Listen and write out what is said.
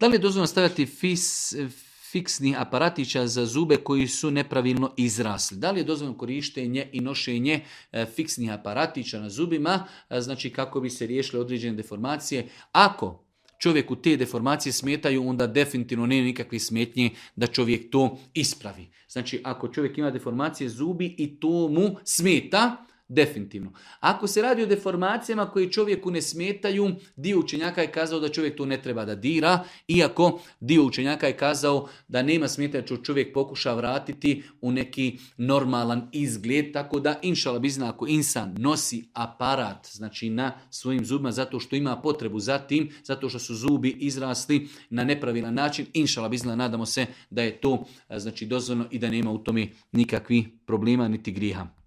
Da li je dozvoljeno stavljati fiksnih aparatića za zube koji su nepravilno izrasli? Da li je dozvoljeno korištenje i nošenje fiksnih aparatića na zubima, znači kako bi se riješile određene deformacije? Ako čovjeku te deformacije smetaju, onda definitivno nema nikakve smetnje da čovjek to ispravi. Znači, ako čovjek ima deformacije zubi i to mu smeta, definitivno. Ako se radi o deformacijama koje čovjeku ne smetaju, dio učenjaka je kazao da čovjek to ne treba da dira, iako dio učenjaka je kazao da nema smetnje da čovjek pokuša vratiti u neki normalan izgled, tako da inšala bizna ako insan nosi aparat, znači na svojim zubima zato što ima potrebu za tim, zato što su zubi izrasli na nepravilan način, inšala bizna nadamo se da je to znači dozvoljeno i da nema u tome nikakvih problema niti grijeha.